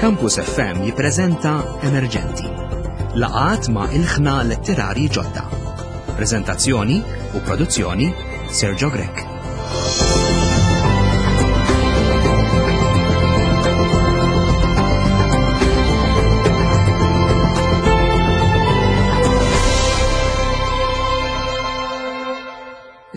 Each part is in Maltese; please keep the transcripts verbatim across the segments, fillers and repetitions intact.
Campus F M jippreżenta Emerġenti. Laqgħat ma' ilħna letterari ġodda. Prezentazzjoni u produzzjoni Sergio Grech.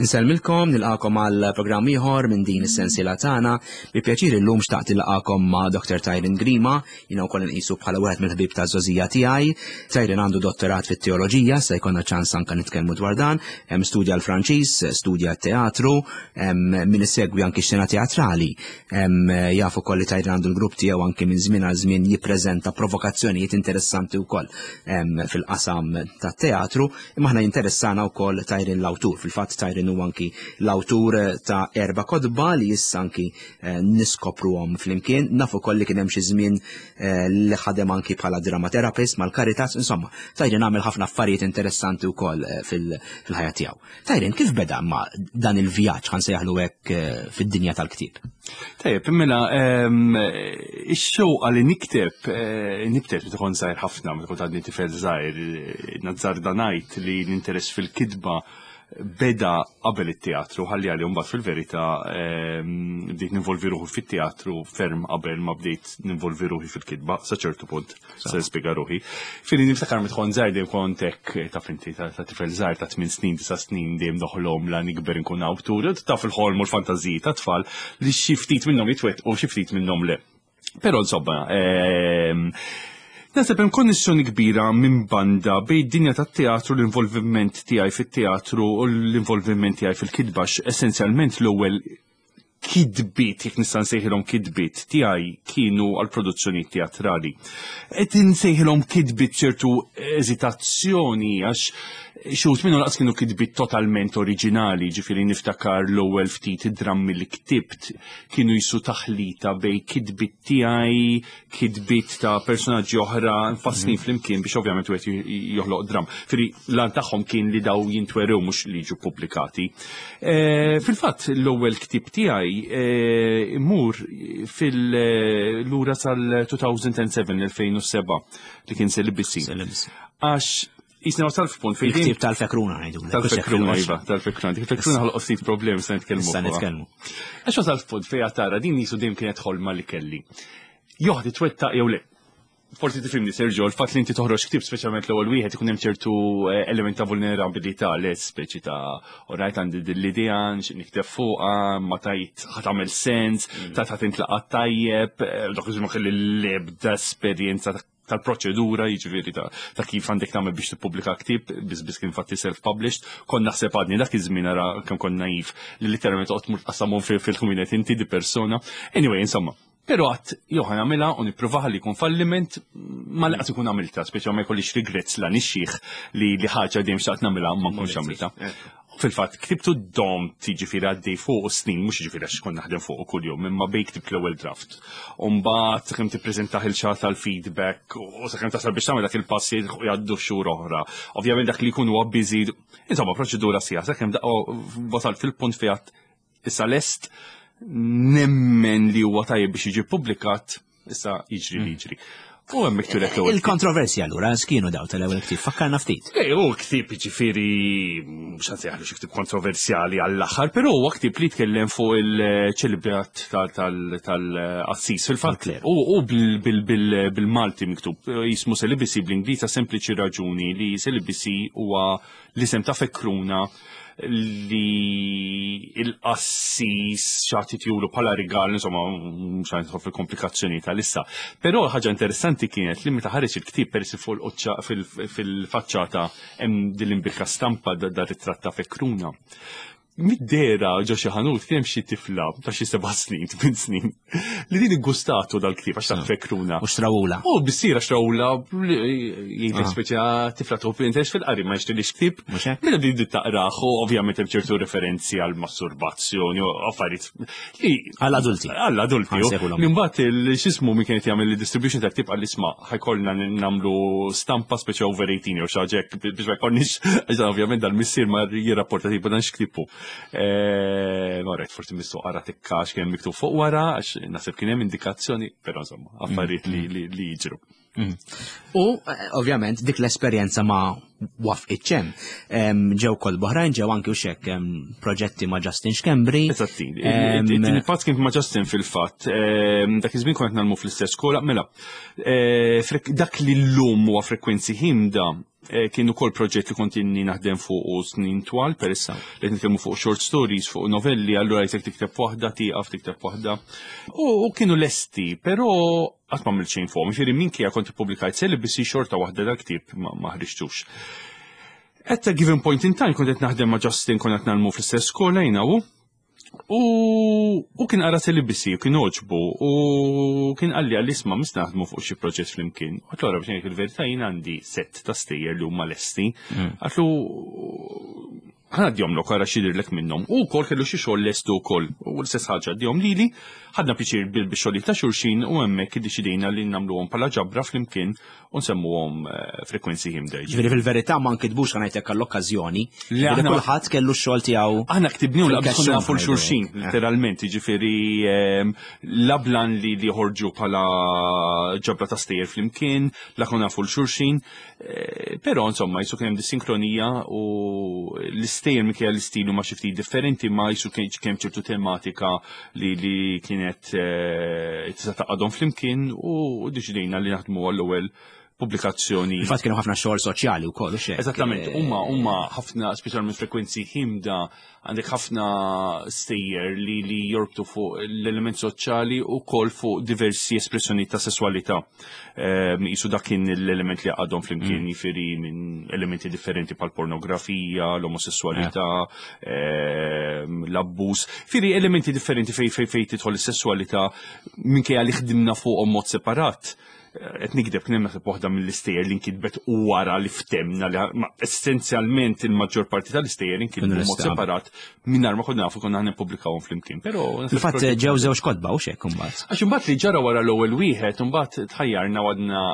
Insellmilkom, nilqagħkom għal programm ieħor minn din is-sensiela tagħna. Bi pjaċir illum xtaqt nilqagħkom ma' Doctor Tyron Grima, jiena wkoll nqisu bħala wieħed mill-ħbieb ta' żgħożija tiegħi. Tyron għandu dottorat fit-teoloġija, se jkollna ċans anke nitkellmu dwar dan. Hemm studja l-Franċiż, studja t-teatru, min isegwi anki xena teatrali. Jaf ukoll li Tyron għandu l-grupp tiegħu, anki minn żmien għal żmien jippreżenta provokazzjonijiet interessanti wkoll fil-qasam tat-teatru, imma aħna jinteressana wkoll Tyron l-awtur. Fil-fatt Tyron u anki l-awtur ta' erba' kotba li issa anki eh, niskopruhom flimkien. Nafu ukoll li kien hemm xi żmien eh, li ħadem anki bħala dramaterapist mal-Caritas, insomma, Tyron għamel ħafna affarijiet interessanti wkoll eh, fil-ħajja tiegħu. Tyron, kif beda ma dan il-vjaġġ, ħa nsejjaħlu hekk, fid-dinja tal-ktieb? Tajjeb, mela, ehm, ix-xewqa li nikteb, nibtet meta kont żgħir ħafna, meta kont għadni tifel żgħir, nazzarda ngħid li l-interess fil-kitba beda qabel it-teatru, ħalli għalli mbagħad fil-verità ehm, bdejt ninvolvi ruħi fit-teatru ferm qabel ma bdejt ninvolvi ruħi fil-kitba, sa ċertu punt, se nispjega ruħi. Fili niftakar meta kont żgħir dejjem kont hekk, taf inti, ta' tifel żgħir ta' tmien snin, disa' snin, dejjem noħlom la nikber nkun awtur, taf il-ħolm u l-fantażiji ta' tfal li xi ftit minnhom jitwettqu u xi ftit minnhom le. Però insomma, ehm, naħseb hemm konnessjoni kbira minn banda bejn dinja tat-teatru, l-involviment tiegħi fit-teatru u l-involviment tiegħi fil-kitba. Essenzjalment l-ewwel kitbiet, jekk nista' nsejħilhom kitbiet tiegħi, kienu għal produzzjoni teatrali. Qed insejħilhom kitbiet ċertu eżitazzjoni għax xi wħud minnhom lanqas kienu kitbiet totalment oriġinali, ġifieri niftakar l-ewwel ftit drammi li ktibt kienu jisu taħlita bejn kitbiet tiegħi, kitbiet ta' personaġġi oħra mfasslin mhm. flimkien biex ovvjament wieħed joħloq dram. Ġifieri l-għan tagħhom kien li daw jintwerew, mhux li jiġu pubblikati. E, fil-fatt l-ewwel ktib tiegħi e, imur fil-lura sal-elfejn u sebgħa, elfejn u sebgħa, li kien Celibacy. Għax jisna wasal f'punt fejn. Il-ktib tal-fekruna ngħidu. Tal-fekruna, iva, tal-fekruna. Dik il-fekruna ħolqot ftit problemi, se nitkellmu. Se nitkellmu. Għax wasal f'punt fejn tara din jisu dejjem kienet ħolma li kelli. Joħdi twettaq jew le. Forsi tifhimni, Sergio, il-fatt li inti toħroġ ktib, speċjalment l-ewwel wieħed, ikun hemm ċertu eh, element ta' vulnerabilità, le speċi ta' orajt għandi l-idea, nikteb fuqha, ma tajt ħa tagħmel sens, mm. ta' ħa tintlaqa' tajjeb, eh, dak iż kelli l-ebda esperjenza tal-proċedura, jiġifieri ta', ta kif għandek tagħmel biex tippubblika ktieb, biss biss kien fatti self-published, kon naħseb għadni dak iż-żmien, ara kemm kon naiv, li literalment toqgħod tmur tqassamhom fil-ħwienet inti di persona. Anyway, insomma, però għedt, jew ħa nagħmilha u nippruvaha li jkun falliment, ma laqas ikun għamilta, speċi ma jkollix regrets la nixxieħ li li ħaġa dejjem xtaqt nagħmilha ma nkunx għamilta. Fil-fatt, ktibtu dom tiġifieri għaddej fuq snin, mhux ġifieri għax kont naħdem fuq kuljum, imma bejn ktibt l-ewwel draft. U mbagħad sakemm tippreżentah il-xat tal-feedback u sakemm tasal biex tagħmel dak il-passi jgħaddu xhur oħra. Ovvjament dak li jkun huwa busy, insomma proċedura sija, sakemm wasalt fil-punt fejn issa lest, nemmen li huwa tajjeb biex jiġi publikat, issa jiġri li jiġri. U hemmhekk turek l-ewwel. Il-kontroversja allura x'kienu daw tal-ewwel ktieb? Fakkarna ftit. Ej, u ktieb ġifieri mhux ħa nsejjaħlu xi ktieb kontroversjali għall-aħħar, però huwa ktieb li jitkellem fuq il-ċelibat tal-qassis. Fil-fatt, u bil-Malti miktub, jismu Celibacy bl-Ingliż sempliċi raġuni li celibacy huwa l-isem ta' fekruna li il-qassis xtaq itihulu bħala rigal, insomma, mhux nidħol fil-komplikazzjoni tal-issa. Però ħaġa interessanti kienet li meta ħareġ il-ktieb, peress fuq fil-faċċata hemm din l-imbierka stampa da ritratt ta' fekruna. Mid-dehra ġo xi ħanut kien hemm xi tifla ta' xi seba' snin, tmien snin, li din iggustatu dal-ktieb għax ta' fekruna. U xtrawula. U bissira xtrawula, jgħidlek speċa tifla tuħu interess fil-qari ma jixtrilix ktieb. Mela din dit taqrah u ovvjament hemm ċertu referenzi għal masturbazzjoni u affarijiet li għall-adulti. Għall-adulti. Imbagħad il-xismu min kienet jagħmel il-distribution ta' ktieb għall isma' ħa jkollna nagħmlu stampa speċa over eighteen jew xi ħaġa biex ma jkollniex, ovvjament dal-missier ma jirrapporta tipo dan x'ktibu. Eh, Marret forsi missu qara tikka x'kien miktub fuq wara, għax naħseb kien hemm indikazzjoni, però insomma, affarijiet li li li jiġru. U eh, ovvjament dik l-esperjenza ma waqfitx hemm. Em, Ġew kotba oħrajn, ġew anki u xek em, proġetti ma' Justin Schembri. Eżatti. Em, It-tieni pass kien ma' Justin fil-fatt. Em, Dak iż-żmien kont ngħallmu fl-istess skola, mela. eh, frek- Dak li llum huwa Frekwenzi Ħimda eh, kien ukoll proġett li kont inni naħdem fuq u snin twal, peress li qed nitkellmu fuq short stories, fuq novelli, allura jisek tikteb waħda, tieqaf tikteb waħda. U u kienu lesti, però qatt ma għamilt xejn fuqhom. Jiġifieri minkejja kont ippubblikajt Celibacy, xorta waħda dal-ktieb ma ma ħriġtux. At a given point in time kont qed naħdem ma' Justin, kont qed ngħallmu fl-istess skola jiena u U, u kien qara Celibacy, u kien għoġbu, u kien qalli għalli isma' mis naħdmu fuq xi proġett flimkien. Għedtlu ara, biex ngħid il-verità, jien għandi set ta' stejjer li huma lesti. Għedtlu ħa ngħaddihomlok, ara x'jidhirlek minnhom. U wkoll kellu xi xogħol lestu wkoll. U l-istess ħaġa għaddihom lili, ħadna pjaċir bil bix-xogħol ta' xulxin u hemmhekk iddeċidejna li nagħmluhom bħala ġabra flimkien u nsemmuhom eh, Frekwenzi Ħimda. Ġifieri fil-verità ma nkitbux, ħa ngħidlek, għall-okkażjoni. Le, Ġifieri aħna- kulħadd kellu x-xogħol tiegħu. Aħna ktibniew la Fil-kexxun, konna nafu l-xulxin, ngħidu. literalment, ġifieri ehm, la blan li li ħorġu bħala ġabra ta' stejjer flimkien, la konna nafu l-xulxin, eh, però insomma, jisu kien hemm dis-sinkronija u l-istejjer minkejja l-istilu ma xi ftit differenti, ma jisu kien kien ċertu tematika li li kienet eh, tista' tgħaqqadhom flimkien u deċidejna li naħdmu għall-ewwel pubblikazzjoni. Infatti kienu ħafna xogħol soċjali wkoll u xek. Eżattament, huma huma ħafna, speċjalment Frekwenzi Ħimda, għandek ħafna stejjer li li jorbtu fuq l-element soċjali u kol fuq diversi espressjoni ta' sessualità. Ehm, Jisu dak kien l-element li għaddhom flimkien, jiġifieri minn elementi differenti bħal pornografija, l-omosessualità, ehm, l-abbuż, jiġifieri elementi differenti fej fej fej tidħol is-sessualità, minkejja li ħdimna fuqhom mod separat. Qed nikdeb, kien hemm naħseb waħda mill-istejjer li nkitbet wara li ftemna li ma essenzjalment il-maġġor parti tal-istejjer inkitbu Kienu mod l-istab. separat mingħajr ma konna nafu konna ħa nippubblikawhom flimkien. Però Fil-fatt ġew żewġ kotba u xek imbagħad. Għax imbagħad li ġara wara l-ewwel wieħed, imbagħad tħajjarna għadna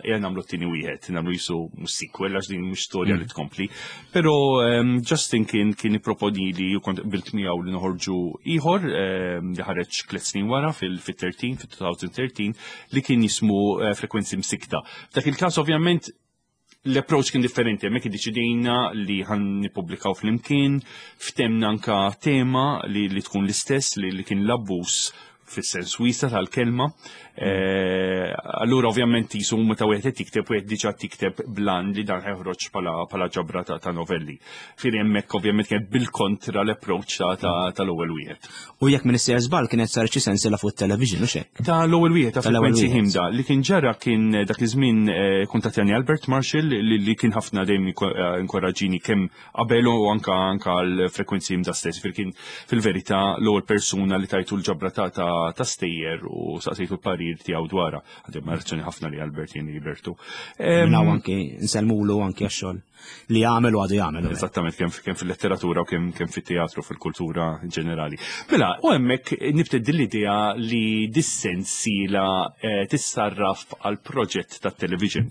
ejja nagħmlu t-tieni wieħed, nagħmlu jisu mhux sequel għax din mhux storja li tkompli. Però ehm, Justin kien kien ipproponi li u kont qbilt miegħu li noħorġu ieħor ehm, li ħareġ tliet snin wara fil-tlettax, fil-elfejn u tlettax, li kien jismu eh, Frekwenzi Msikta. F'dak il-każ ovvjament l-approach kien differenti, hemmhekk iddeċidejna li ħa nippubblikaw flimkien, ftemna anka tema li, li tkun l-istess, li, li kien l-abbuż fis-sens wiesa tal-kelma. Eh, Allura ovvjament jisu meta wieħed qed tikteb, wieħed diġà tikteb blan li dan ħeħroġ bħala bħala ġabra ta', ta' novelli. Jiġifieri hemmhekk ovvjament kien bil-kontra l-approach ta' ta- tal-ewwel wieħed. U jekk minn issejjer żball kienet sar xi sensiela fuq television u xek. Ta' l-ewwel wieħed ta' Tal-ewwel Frekwenzi wieħed. Ħimda, li kien ġara kien eh, dak iż-żmien eh, kuntattjani Albert Marshall li, li kien ħafna dejjem inko- eh, inkoraġini kemm qabel u anka anka l-Frekwenzi Ħimda stess. Fil kien fil-verità l-ewwel persuna li tajtu l-ġabra ta' ta' ta' stejjer u saqsejtu l-parir tiegħu dwarha. Għandi ammirazzjoni ħafna li Albert jien Libertu. Minn hawn anki nsellmulu anki għax-xogħol li jagħmel u għadu jagħmel. Eżattament, kemm kemm fil-letteratura u kemm kemm fit-teatru, fil-kultura in ġenerali. Mela, u hemmhekk nibtet din l-idea li dis-sensiela eh, tissarraf għal proġett tat-television.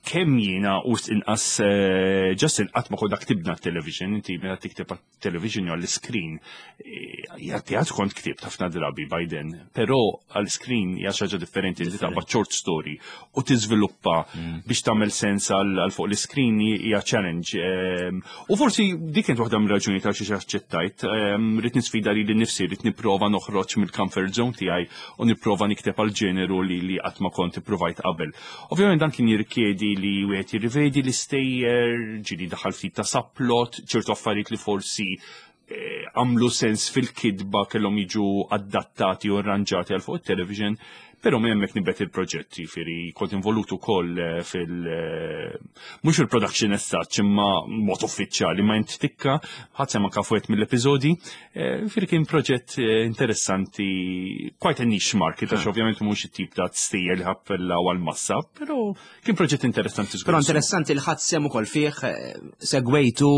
Kemm jiena u inqas eh, Justin qatt ma konna ktibna television, inti meta tikteb television jew għall-screen, eh, ja teatru kont ktibt ħafna drabi by then, però għall-screen hija xi ħaġa differenti, inti taqbad short story u tiżviluppa biex tagħmel sens għal għal fuq l-screen hija challenge. Ehm, U forsi dik kienet waħda mir-raġuni ta' xiex aċċettajt, ehm, rrid nisfida lili nnifsi, rrid nipprova noħroġ mill-comfort zone tiegħi u nipprova nikteb għal ġeneru li li qatt ma kont ipprovajt qabel. Ovvjament dan kien jirrikjedi li wieħed jirrivedi l-istejjer, ġieli daħal ftit ta' subplot, ċertu affarijiet li forsi eh, għamlu sens fil-kidba kellhom jiġu adattati u arranġati għal fuq il-television, però minn hemmhekk nibet il-proġett, jiġifieri kont involut ukoll eh, fil- eh, mhux fil-production as such, imma mod uffiċjali, ma int tikka, ħadd sema kafuet mill-episodi, eh, jiġifieri kien proġett eh, interessanti, quite a niche market, għax ovvjament mhux it-tip ta' stejjer li jappellaw għal-massa, però kien proġett interessanti żgur. Però interessanti li ħadd sem ukoll fih, eh, segwejtu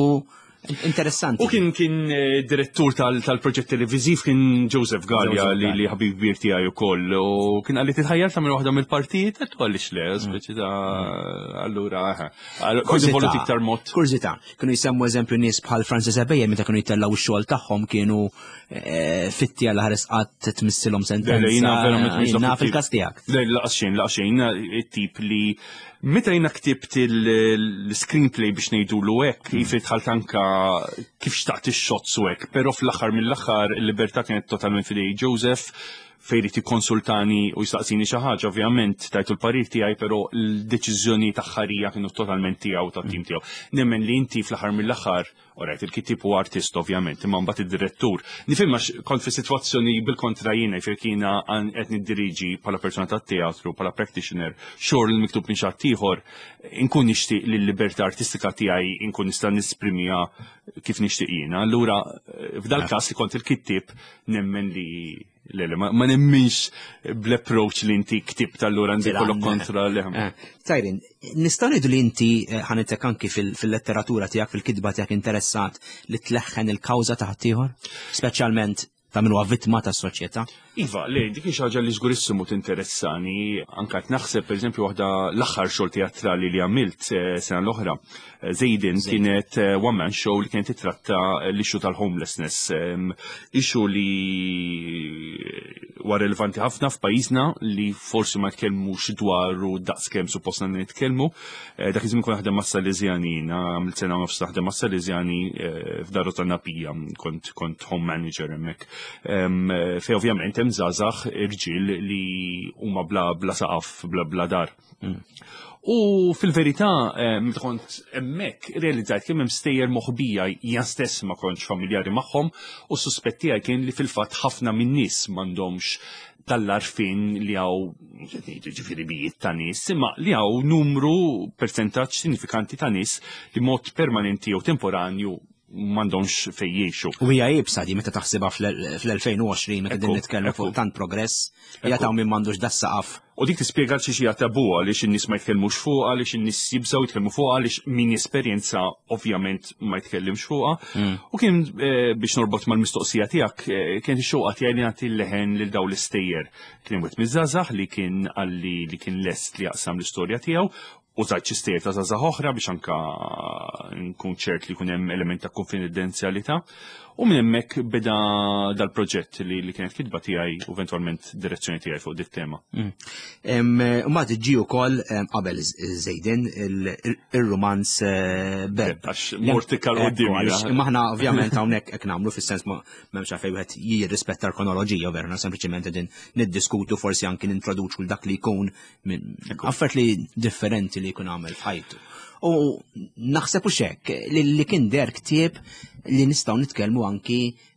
Interessanti. U kien kien eh, direttur tal-proġett televiżiv kien Joseph Gallia li li ħabib kbir tiegħi ukoll u kien qalli titħajjar tagħmel waħda mill-partijiet għedtu għaliex le, mm. speċi ta' allura kont involut iktar mod. Kurżità, kienu jsemmu eżempju nies bħal Francis Ebejer meta kienu jtellgħu x-xogħol tagħhom kienu eh, fitti għal ħares qatt tmissilhom sentenza. Jiena verament Naf il-każ tiegħek. Le, laqas xejn, laqas xejn, it-tip li meta jiena ktibt l-screenplay biex ngħidulu hekk, mm. jiġifieri dħalt anka kif xtaqt ix-shots u hekk, però fl-aħħar mill-aħħar il-libertà kienet totalment f'idej Joseph fejn irid jikkonsultani u jistaqsini xi ħaġa, ovvjament tajtu l-parir tiegħi, però l-deċiżjoni aħħarija kienu totalment tiegħu tat-tim tiegħu. Nemmen li inti fl-aħħar mill-aħħar, alright, il-kittieb u artist ovvjament, imma mbagħad id-direttur. Nifhem għax kont fi sitwazzjoni bil-kontra jiena, jiġifieri kiena qed niddiriġi bħala persuna tat-teatru, bħala practitioner, xogħol miktub minn xi ieħor, inkun nixtieq li l-libertà artistika tiegħi inkun nista' nesprimiha kif nixtieq jiena. Allura f'dal każ li kont il-kittieb nemmen li Le, le, ma nemminx bl-approach li inti ktibt allura għandi kollok kontra li. Eh, Tyron, nistgħu ngħidu li inti eh, ħa nitek anki fil-letteratura tiegħek, fil-kitba tiegħek interessat li tleħħen il-kawża ta' ħaddieħor, speċjalment ta' min huwa vittma tas-soċjetà? Iva, le, dik xi ħaġa li żgurissimu tinteressani, anka qed naħseb pereżempju waħda l-aħħar xogħol teatrali li għamilt eh, sena l-oħra, eh, Zejden kienet eh, one man show li kienet titratta l-issue tal-homelessness, issue li huwa relevanti ħafna f'pajjiżna li forsi ma tkellmux dwaru daqskemm suppost nitkellmu. Dak iż-żmien kont naħdem mas-Salesjani, għamilt sena nofs naħdem mas-Salesjani f'Dar Napija, kont kont home manager hemmhekk. Fej ovvjament hemm żgħażagħ irġiel li huma bla bla saqaf, bla bla dar. Mm. U fil-verità, meta kont hemmhekk realizzajt kemm hemm stejjer moħbija jien stess ma kontx familjari magħhom u suspett tiegħi kien li fil-fatt ħafna min-nies m'għandhomx tal-għarfien li hawn ġifieri bijiet ta' nies, imma li hawn numru percentaġġ sinifikanti ta' nies li mod permanenti jew temporanju m'għandhomx fejn jgħixu. U hija iebsa di meta taħsibha fl-elfejn u għoxrin meta din nitkellmu fuq tant progress, hija ta' min m'għandux das-saqaf. U dik tispjega xi xi tabu għaliex in-nies ma jitkellmux fuq, għaliex in-nies jibżgħu jitkellmu fuq, għaliex min jesperjenza ovvjament ma jitkellimx fuqha. Mm. U kien eh, biex norbot mal-mistoqsija tiegħek, eh, kien ix-xewqa tiegħi li nagħti leħen lil dawn l-istejjer. Kien wieħed miż-żgħażagħ li kien qalli li kien lest li jaqsam l-istorja tiegħu u żgħid xi stejjer ta' żgħażagħ oħra biex anka nkun ċert li jkun hemm element ta' konfidenzjalità. U minn hemmhekk beda dal-proġett li, li kienet kitba tiegħi u eventwalment direzzjoni tiegħi fuq dit tema. U ma tiġi wkoll qabel Żejden ir-romanz eh, Beb. Għax mort iktar quddiem. Imma aħna ovvjament hawnhekk hekk nagħmlu fis-sens ma m'hemmx għalfejn wieħed jirrispetta l-kronoloġija vera, sempliċement qegħdin niddiskutu forsi anki nintroduċu dak li jkun minn affarijiet li differenti li jkun għamel f'ħajtu. U naħseb u xek li, li kien der ktieb li nistgħu nitkellmu anki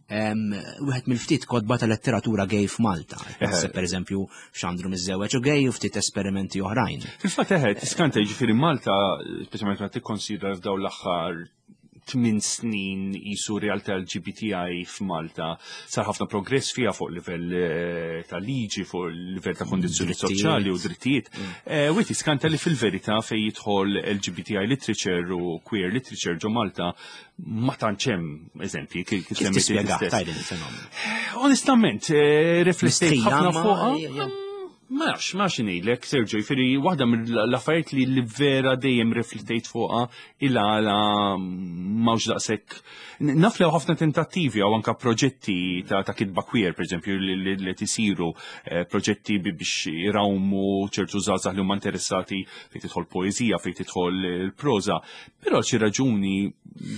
wieħed mill-ftit kotba ta' letteratura gay f'Malta. Naħseb pereżempju Xandru Miżżewweġ u gay u ftit esperimenti oħrajn. Fil-fatt eħe, tiskanta jiġifieri Malta, speċjalment meta tikkonsidra f'dawn l-aħħar tmien snin jisu realtà L G B T I f'Malta sar ħafna progress fiha fuq livell eh, ta' liġi, fuq livell ta' kondizzjoni soċjali u drittijiet. Mm. Eh, u tiskanta li fil-verità fej jidħol L G B T I literature u queer literature ġo Malta ma tantx hemm eżempji kif semmejt il-fenomenu. Onestament, eh, riflettejt ħafna fuqha. Ma nafx, ma nafx ngħidlek, Sergio, jiġifieri waħda mill-affarijiet li li vera dejjem riflettejt fuqha il-għala m'hawnx daqshekk. Naf li ħafna tentattivi għaw anka proġetti ta', ta kitba queer, per eżempju, li, li, li tisiru eh, proġetti biex irawmu ċertu żgħażagħ li huma interessati fejn tidħol poeżija, fejn tidħol il-proża, però xi raġuni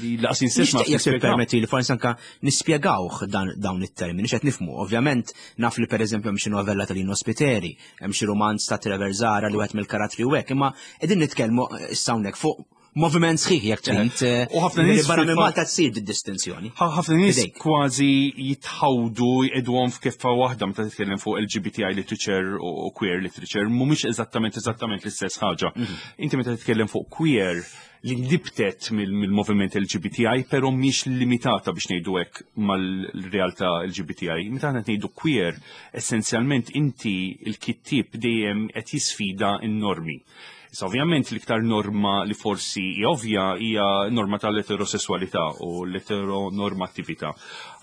li laqas insess ma Jekk permetti li forsi anka nispjegawh dawn it-termini, x'qed nifhmu. Ovvjament naf li pereżempju hemm xi novella ta' Lino Spiteri, hemm xi romanz ta' Trevor Zara li wieħed mill-karattri u hekk, imma qegħdin nitkellmu issa hawnhekk fuq moviment sħiħ jekk trid. U ħafna nies barra minn Malta tsir distinzjoni. Ħafna nies kważi jitħawdu jqegħduhom f'keffa waħda meta titkellem fuq L G B T I literature u queer literature, mhumiex eżattament eżattament l-istess ħaġa. Mhm. Inti meta titkellem fuq queer li nibtet mill-moviment L G B T I, però mhix limitata biex ngħidu hekk mal-realtà L G B T I. Meta aħna ngħidu queer, essenzjalment inti il-kittieb dejjem qed jisfida n-normi. Issa ovvjament l-iktar norma li forsi hija ovvja hija norma tal-eterosessualità u l-eteronormattività.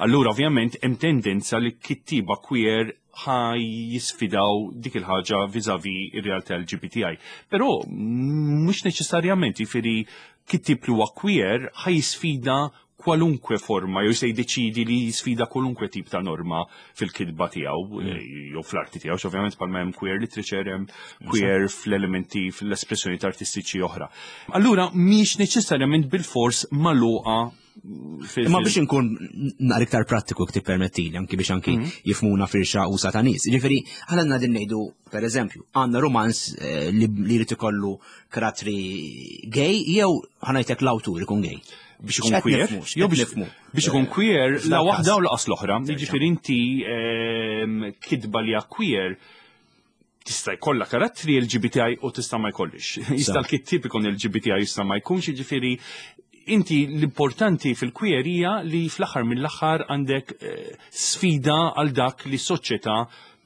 Allura ovvjament hemm tendenza li kittiba queer ħa jisfidaw dik il-ħaġa vis-à-vis ir-realtà L G B T I. Però mhux neċessarjament, jiġifieri kittib li huwa queer ħa jisfida kwalunkwe forma, jew se jiddeċidi li jisfida kwalunkwe tip ta' norma fil-kitba tiegħu mm. jew fl-arti tiegħu, ovvjament bħalma hemm queer literature, hemm queer fl-elementi, fl-espressjoni artistiċi oħra. Allura mhix neċessarjament bil-fors magħluqa. Imma biex inkun naqra iktar prattiku, tippermettili, anki biex anki mhm. jifhmuna firxa usa' ta' nies. Ġifieri, għandna din ngħidu, per eżempju, għandna romanz eh, li jrid ikollu karattri gay jew ħa ngħidlek l-awtur ikun gay. Biex ikun queer, jew biex ikun queer, la waħda u lanqas l-oħra. Jiġifieri inti ehm, kitba li queer tista' jkollha karattri L G B T I u tista' ma jkollix. Jista' l-kittib ikun L G B T I, jista' ma jkunx, jiġifieri inti l-importanti fil-queer hija li fl-aħħar mill-aħħar għandek eh, sfida għal dak li soċjetà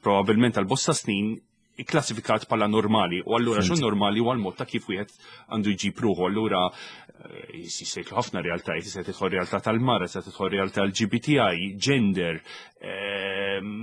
probabbilment għal bosta snin ikklassifikat bħala normali, u allura x'inhu normali huwa l-mod ta' kif wieħed għandu jġib ruħu. Allura eh, jistgħu ħafna realtajiet, jista' tidħol realtà tal-mara, jista' tidħol realtà L G B T I, gender, ehm,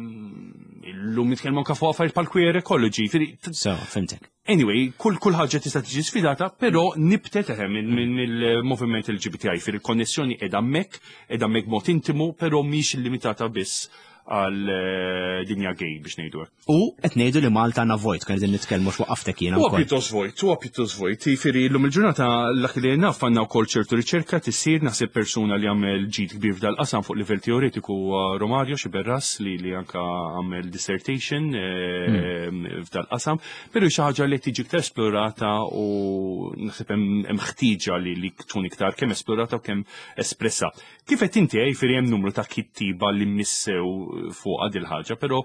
illum nitkellmu anke fuq affarijiet bħal queer ecology. So, fhimtek. Anyway, kull kull ħaġa tista' tiġi sfidata, però nibtet eħe minn il-moviment L G B T I, fil-konnessjoni qiegħda hemmhekk, qiegħda hemmhekk mod intimu, però mhix limitata biss għal eh, dinja gay, biex ngħidu hekk. U qed ngħidu li Malta għandna vojt, kien qegħdin nitkellmu x'waqaftek jiena Huwa pjuttost vojt, huwa pjuttost vojt. Jiġifieri llum il-ġurnata dak li naf għandna wkoll ċertu riċerka tisir. Naħseb persuna li għamel ġid kbir f'dal-qasam fuq livell teoretiku huwa Romario Sciberras li li anka għamel dissertation eh, hmm. f'dal-qasam, però xi ħaġa li tiġi iktar esplorata u naħseb hemm ħtieġa li li tkun iktar kemm esplorata u kemm espressa. Kif qed inti, jiġifieri hemm numru ta' kittiba li missew fuq dil ħaġa, però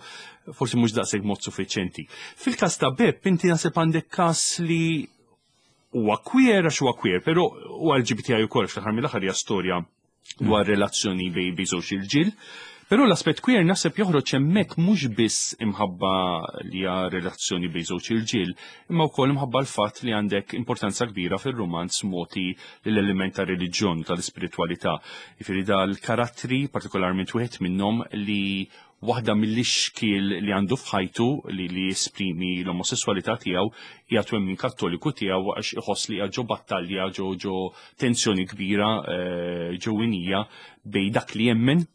forsi mhux daqshekk mod suffiċjenti. Fil-każ ta' Bepp, inti naħseb għandek każ li huwa queer għax huwa queer, però huwa L G B T I ukoll, fl-aħħar mill-aħħar hija storja dwar relazzjoni bejn bejn żewġ irġiel. Però l-aspett queer naħseb joħroġ hemmhekk mhux biss imħabba li hija relazzjoni bejn żewġ irġiel, imma wkoll imħabba l-fatt li għandek importanza kbira fir-romanz mogħti l-element ta' reliġjon, tal-ispiritwalità. Jiġifieri dal-karattri, partikolarment wieħed minnhom, li waħda mill-ixkiel li għandu f'ħajtu li li jesprimi l-omosessualità tiegħu hija twemmin Kattoliku tiegħu, għax iħoss li ġo battalja, ġo ġo tensjoni kbira eh, ġewwinija bejn dak li jemmen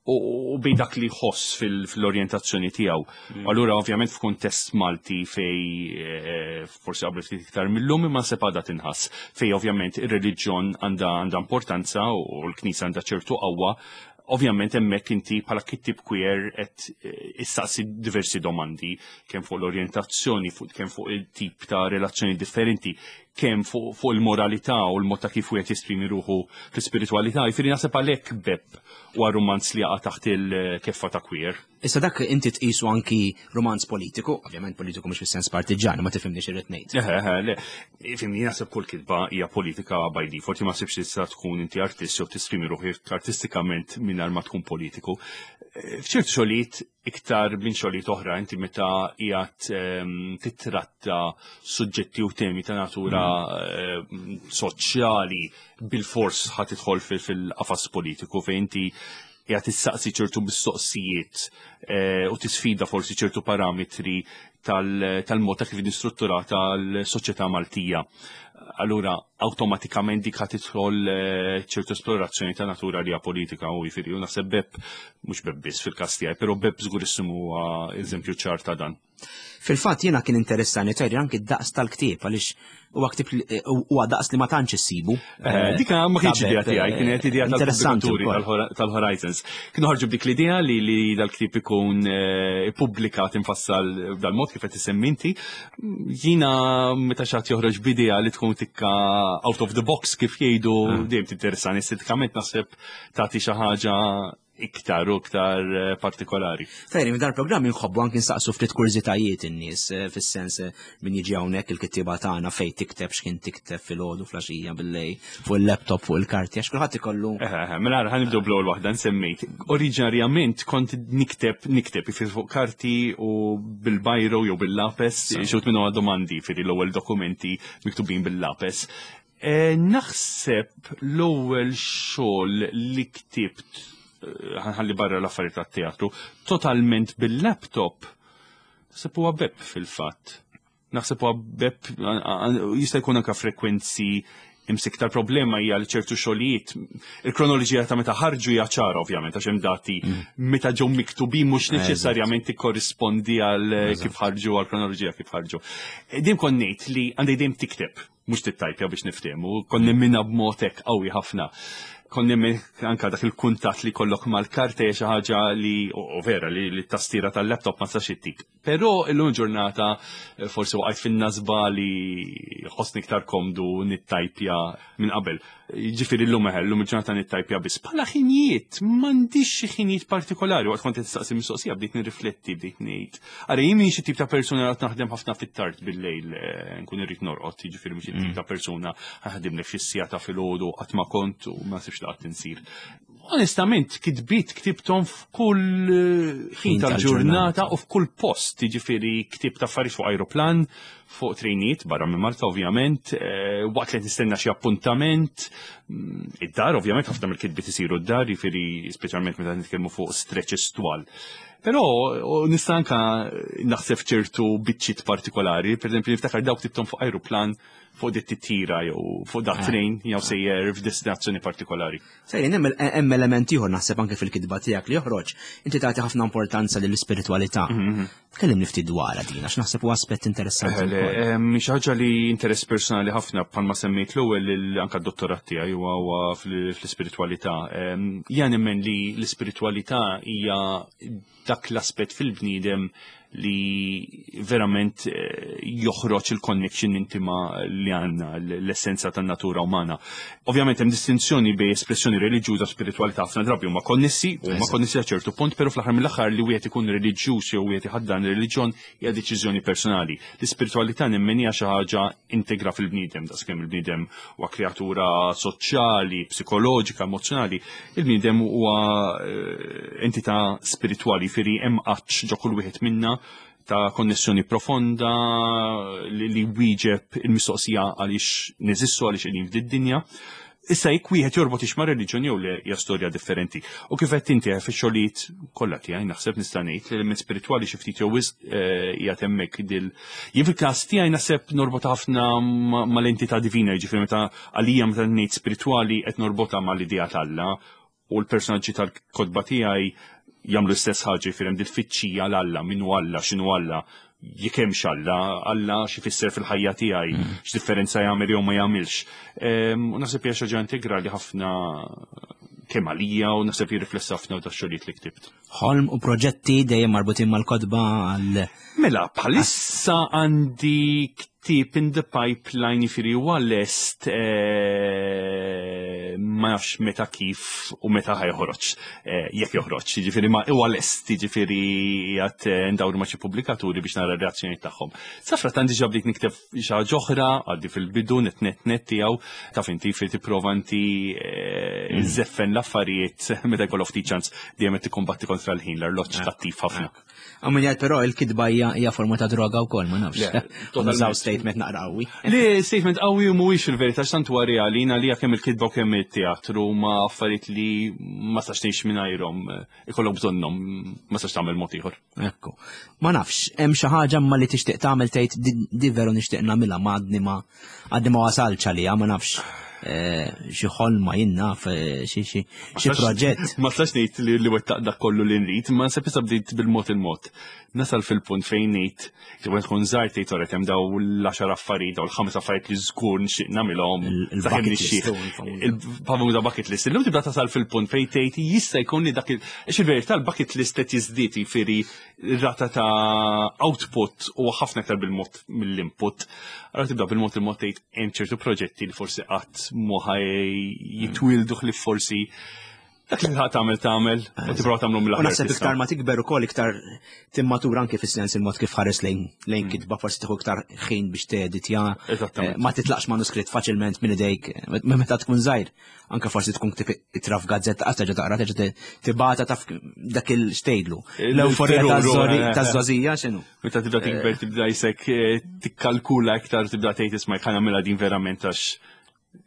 u bejn dak li jħoss fil-orjentazzjoni tiegħu. Mm. Allura ovvjament f'kuntest Malti fej eh, forsi qabel ftit iktar mill-lum imma sepada tinħass, fej ovvjament ir-reliġjon għandha għandha importanza u l-Knisja għandha ċertu qawwa, ovvjament hemmhekk inti bħala kittib queer qed eh, issaqsi diversi domandi kemm fuq l-orjentazzjoni, fuq kemm fuq il-tip ta' relazzjoni differenti, kemm fuq fu il-moralità u l-mod ta' kif wieħed jesprimi ruħu fl-ispiritwalità. Jiġifieri naħseb għalhekk Bepp huwa romanz li jaqa' taħt il-keffa ta' queer. Issa dak inti tqisu anki romanz politiku, ovvjament politiku mhux fis-sens partiġan, ma tifhimni x'irrid ngħid. Eħe, eħe, le, fhimni, naħseb kull kitba hija politika by default, ma sibx tista' tkun inti artist jew tesprimi ruħek artistikament mingħajr ma tkun politiku. Eh, F'ċertu xogħlijiet iktar minn xogħlijiet oħra, inti meta qiegħed ehm, titratta suġġetti u temi ta' natura ehm, soċjali, bil-fors ħa tidħol fil-qafas politiku fejn inti qiegħed tissaqsi ċertu mistoqsijiet eh, u tisfida forsi ċertu parametri tal-mod ta' kif strutturata l-soċjetà Maltija. Allura, awtomatikament dik ħa tidħol eh, ċertu esplorazzjoni ta' natura li hija politika u jiġifieri u naħseb Bepp, mhux Bepp biss fil-każ tiegħi, però Bepp żgur issimu eżempju ċar ta' dan. Fil-fatt jiena kien interessani tajri anki d-daqs tal-ktieb, għaliex huwa ktieb huwa daqs li ma tantx issibu. Eh, dika ma kienx idea tiegħi, kienet idea tal-pubblikaturi tal-Horizons. Kienu ħarġu b'dik l-idea li li dal-ktieb ikun eh, ippubblikat infassal dal-mod kif qed isemmi inti. Jiena meta xi ħadd joħroġ b'idea li tkun tikka out of the box, kif jgħidu, ah. dejjem tinteressani estetikament, naħseb tagħti xi ħaġa iktar u iktar eh, partikolari. Tajri, minn dal-programm inħobbu anki nsaqsu ftit kurżitajiet in-nies, eh, fis-sens eh, min jiġi hawnhekk il-kittieba tagħna fejn tikteb, x'kien tikteb filgħodu, filgħaxija, billejl, fuq il-laptop, fuq il-karti, għax kulħadd ikollu. Mela ħa nibdew bl-ewwel waħda nsemmejt. Oriġinarjament kont nikteb nikteb ifir fuq karti u bil-biro jew bil-lapes, xut minnu domandi fir l-ewwel dokumenti miktubin bil-lapes. Naħseb l-ewwel xogħol li ktibt, ħa nħalli barra l-affarijiet tat-teatru, totalment bil-laptop, naħseb huwa Beb fil-fatt. Naħseb huwa Beb, jista' jkun anke frekwenzi imsiktar. Problema hija li ċertu xogħlijiet il-kronoloġija ta' meta ħarġu hija ċara ovvjament għax hemm dati, mm. meta ġew miktubin mhux neċessarjament tikkorrispondi għal kif ħarġu, għal kronoloġija kif ħarġu. Din kont ngħid li għandej dejjem tikteb, mhux tittajpja biex niftehmu, kont nemminha b'mod hekk qawwi ħafna. Kont nemmen anka dak il-kuntatt li kollok mal-karta hija xi ħaġa li u vera li t-tastiera tal-laptop ma tistax ittik. Però illum ġurnata eh, forsi waqajt fin-nasba li ħossni iktar komdu nittajpja minn qabel. Ġifieri llum eħel, llum il-ġurnata nittajpja biss. Bħala ħinijiet, m'għandix xi ħinijiet partikolari, waqt kont tistaqsi mistoqsija bdejt nirrifletti, bdejt ngħid. Ara, jien xi tip ta' persuna li naħdem ħafna fit-tard bil-lejl, eh, nkun irrid norqod, jiġifieri mhux tip ta' persuna ħadimlek xi siegħa ta' filgħodu, qatt ma kont u ma sibx laqat insir. Onestament, kitbiet ktibthom f'kull eh, ħin tal-ġurnata u f'kull post, jiġifieri ktibt affarijiet fuq aeroplan, fuq trejniet, barra minn Malta ovvjament, eh, waqt li nistenna xi appuntament, mm, id-dar ovvjament, ħafna mill-kitbiet isiru d-dar, jiġifieri speċjalment meta nitkellmu fuq stretches twal. Però nista' anka naħseb ċertu biċċiet partikolari, per esempio niftakar dawk ktibthom fuq aeroplan, fuq dit titjira jew fuq dat ah. train jew sejjer f'destinazzjoni partikolari. Sejrin, hemm element ieħor naħseb anke fil-kitba tiegħek li joħroġ. Inti tagħti ħafna importanza lill-ispiritwalità. Mhm, mhm. Tkellimni ftit dwarha din għax naħseb huwa aspett interessanti. Xi ħaġa li interess personali ħafna, bħalma semmejt l-ewwel anke d-dottorat tiegħi huwa fl-ispiritwalità. Jien nemmen li l-ispiritwalità hija dak l-aspett fil-bniedem li verament eh, joħroġ il-connection intima li għandna, l-essenza tan-natura umana. Ovvjament hemm distinzjoni bejn espressjoni reliġjuża u spiritualità, ħafna drabi huma konnessi, huma konnessi għal ċertu punt, però fl-aħħar mill-aħħar li wieħed ikun reliġjuż jew wieħed iħaddan reliġjon hija deċiżjoni personali. L-ispiritualità nemmen hija xi ħaġa integra fil-bniedem, daqskemm il-bniedem huwa kreatura soċjali, psikoloġika, emozjonali, il-bniedem huwa eh, entità spiritwali, firri hemm għatx ġo kull wieħed minna ta' konnessjoni profonda li, li wieġeb il-mistoqsija għaliex neżistu, għaliex qegħdin f'did-dinja. Issa jekk wieħed jorbot ix ma' reliġjon jew le hija storja differenti. U kif qed inti fix-xogħlijiet kollha tiegħi naħseb nista' ngħid li l-element spiritwali xi ftit jew wisq eh, qiegħed hemmhekk dil. Jien fil-każ tiegħi naħseb norbot ħafna mal-entità divina, jiġifieri meta għalija meta ngħid spiritwali qed norbotha mal-idea t'Alla u l-personaġġi tal-kotba tiegħi jagħmlu l-istess ħaġa, jiġifieri hemm dil-fittxija l-Alla, min hu Alla, x'inhu Alla, jekk hemmx Alla, Alla x'ifisser fil-ħajja tiegħi, mm. x'differenza jagħmel jew ma jagħmilx. U naħseb hija xi ħaġa integrali ħafna kemm għalija u naħseb jirriflessa ħafna ta' xogħlijiet li ktibt. Ħolm u proġetti dejjem marbutin mal-kotba għal Mela, bħalissa għandi ktieb in the pipeline, jiġifieri huwa lest, eh, ma nafx meta, kif u meta ħa joħroġ, eh, jekk joħroġ, jiġifieri ma huwa lest, jiġifieri qiegħed eh, ndawru ma' xi pubblikaturi biex nara r-reazzjoni tagħhom. Safrattant diġà bdejt nikteb xi ħaġa oħra, għaddi fil-bidu net net net tiegħu, taf inti fi tipprova inti mm. żeffen l-affarijiet meta jkollok ftit ċans, dejjem qed tikkombatti kontra l-ħin, l-arloġġ kattiv ħafna. Għammin jgħid però il-kitba hija forma ta' droga wkoll, ma nafx. Nużaw statement naqra qawwi. Le, statement qawwi u mhuwiex il-verità, x'tant huwa reali li kemm il-kitba u kemm it-teatru ma affarijiet li ma sax tgħix mingħajrhom, ikollok bżonnhom, ma sax tagħmel mod ieħor. Ekku. Ma nafx, hemm xi ħaġa ma li tixtieq tagħmel, tgħid di veru nixtieq nagħmilha, ma għadni ma għadni ma wasalx għalija, ma nafx. Eh, xi ħolma, jien naf, eh, xi xi xi proġett. Ma tistax ngħid li li wettaq dak kollu li nrid, ma se issa bdejt bil-mod il-mod. Nasal fil-punt fejn ngħid, tibqa tkun żgħar tgħid toret hemm daw l-għaxar affarijiet, daw l-ħames affarijiet li żgur nixtieq nagħmilhom. Il-bucket list. Il-famuża bucket list. Illum tibda tasal fil-punt fejn tgħid jista' jkun li dak il il-verità l-bucket list qed jiżdied, jiġifieri rata ta' output u ħafna aktar bil-mod mill-input. Allora tibda bil-mod il-mod tgħid hemm ċertu proġetti li forsi qatt mhu ħa jitwildu li forsi Dak li ħa tagħmel tagħmel u tipprova tagħmlu U mill-aħjar. naħseb tista'. iktar ma tikber ukoll iktar timmatura anke fis-sens il-mod kif ħares lejn lejn kitba, forsi tieħu iktar ħin biex teditja. Eżattament. Eh, Ma titlaqx manuskritt faċilment minn idejk eh, meta tkun żgħir. Anke forsi tkun ktib ittra f'gazzetta qatt terġa' taqra terġa' ti- tibata taf dak il-xtejdlu. L-euforija Il-terror, eh, taż-żgħożija x'inhu? Meta tibda tikber tibda jisek eh, tikkalkula iktar, tibda tgħid, "Isma', ħa nagħmilha din verament għax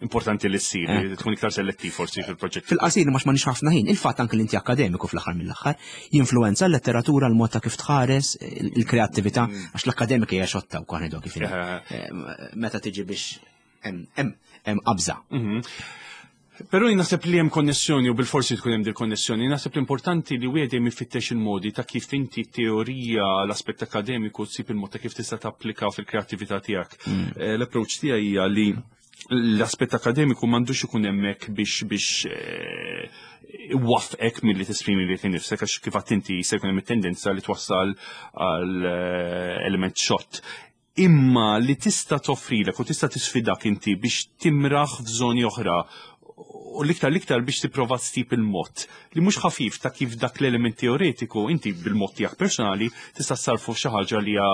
importanti li ssir", tkun iktar selettiv forsi fil-proġett. Fil-qasir, ma m'għandniex ħafna ħin, il-fatt anke li inti akademiku fl-aħħar mill-aħħar jinfluenza l-letteratura, l-mod ta' kif tħares, il-kreattività, għax l-akademika hija xotta wkoll ngħidu kif inhi. Eh. Eh, Meta tiġi biex hemm hemm hemm qabża. Però jien naħseb li hemm konnessjoni u bil-forsi tkun hemm dil-konnessjoni. Naħseb l-importanti li wieħed dejjem ifittex il-modi ta' kif inti teorija, l-aspett akademiku tsib il-mod ta' kif tista' tapplika fil-kreattività tiegħek. Eh, L-approach tiegħi hija li l-aspett akademiku m'għandux ikun hemmhekk biex biex eh, iwaqqfek milli tesprimi lilek innifsek, għax kif għedt inti se jkun hemm it-tendenza li twassal għal eh, element xott, imma li tista' toffrilek u tista' tisfidak inti biex timraħ f'żoni oħra u l-iktar l-iktar biex tipprova ssib il-mod li mhux ħafif ta' kif dak l-element teoretiku inti bil-mod tiegħek personali tista' ssarfu f'xi ħaġa li hija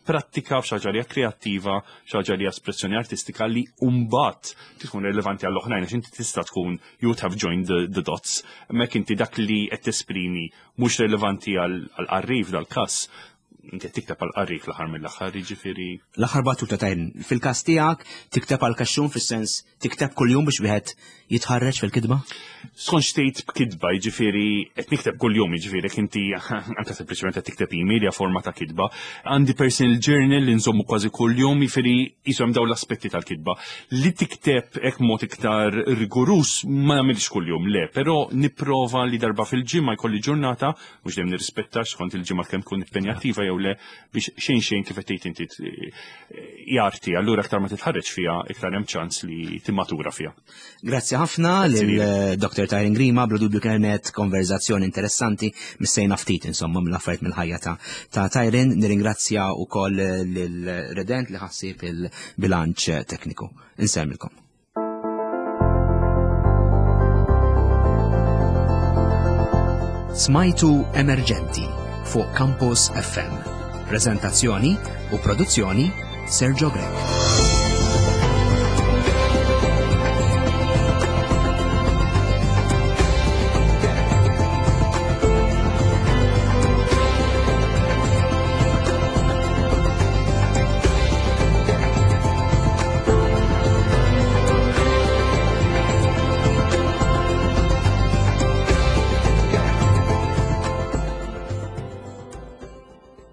prattika, f'xi ħaġa li hija kreattiva, xi ħaġa li hija espressjoni artistika li mbagħad tkun relevanti għall-oħrajn, għax inti tista' tkun you would have joined the, the dots. Mek inti dak li qed tesprimi mhux relevanti għal qarrif dal-każ, inti qed tikteb għal qarrif l-aħħar mill-aħħar, jiġifieri. L-aħħar battuta tajn, fil-każ tiegħek tikteb għal kaxxun fis-sens tikteb kuljum biex wieħed jitħarreġ fil-kitba? Skont x'tgħid b'kitba, jiġifieri qed nikteb kuljum, jiġifieri jekk inti anke sempliċement qed tikteb email hija forma ta' kitba. Għandi personal journal li nżommu kważi kuljum, jiġifieri jisom dawn l-aspetti tal-kitba. Li tikteb hekk mod iktar rigorus ma nagħmilx kuljum, le, però nipprova li darba fil-ġimgħa jkolli ġurnata, mhux dejjem nirrispetta skont il-ġimgħa kemm tkun impenjattiva jew le, biex xejn xejn kif qed tgħid inti jarti, allura aktar ma titħarreġ fiha, iktar hemm ċans li timmatura fiha. Grazzi ħafna lil eh, Doktor Tyron Grima, bla dubju kienet konverzazzjoni interessanti, missejna ftit insomma mill-affarijiet mill-ħajja ta' ta' Tyron. Nirringrazzja wkoll lil Redent li ħassib il-bilanċ tekniku. Insemmilkom. Smajtu Emerġenti fuq Campus F M. Prezentazzjoni u produzzjoni Sergio Grech.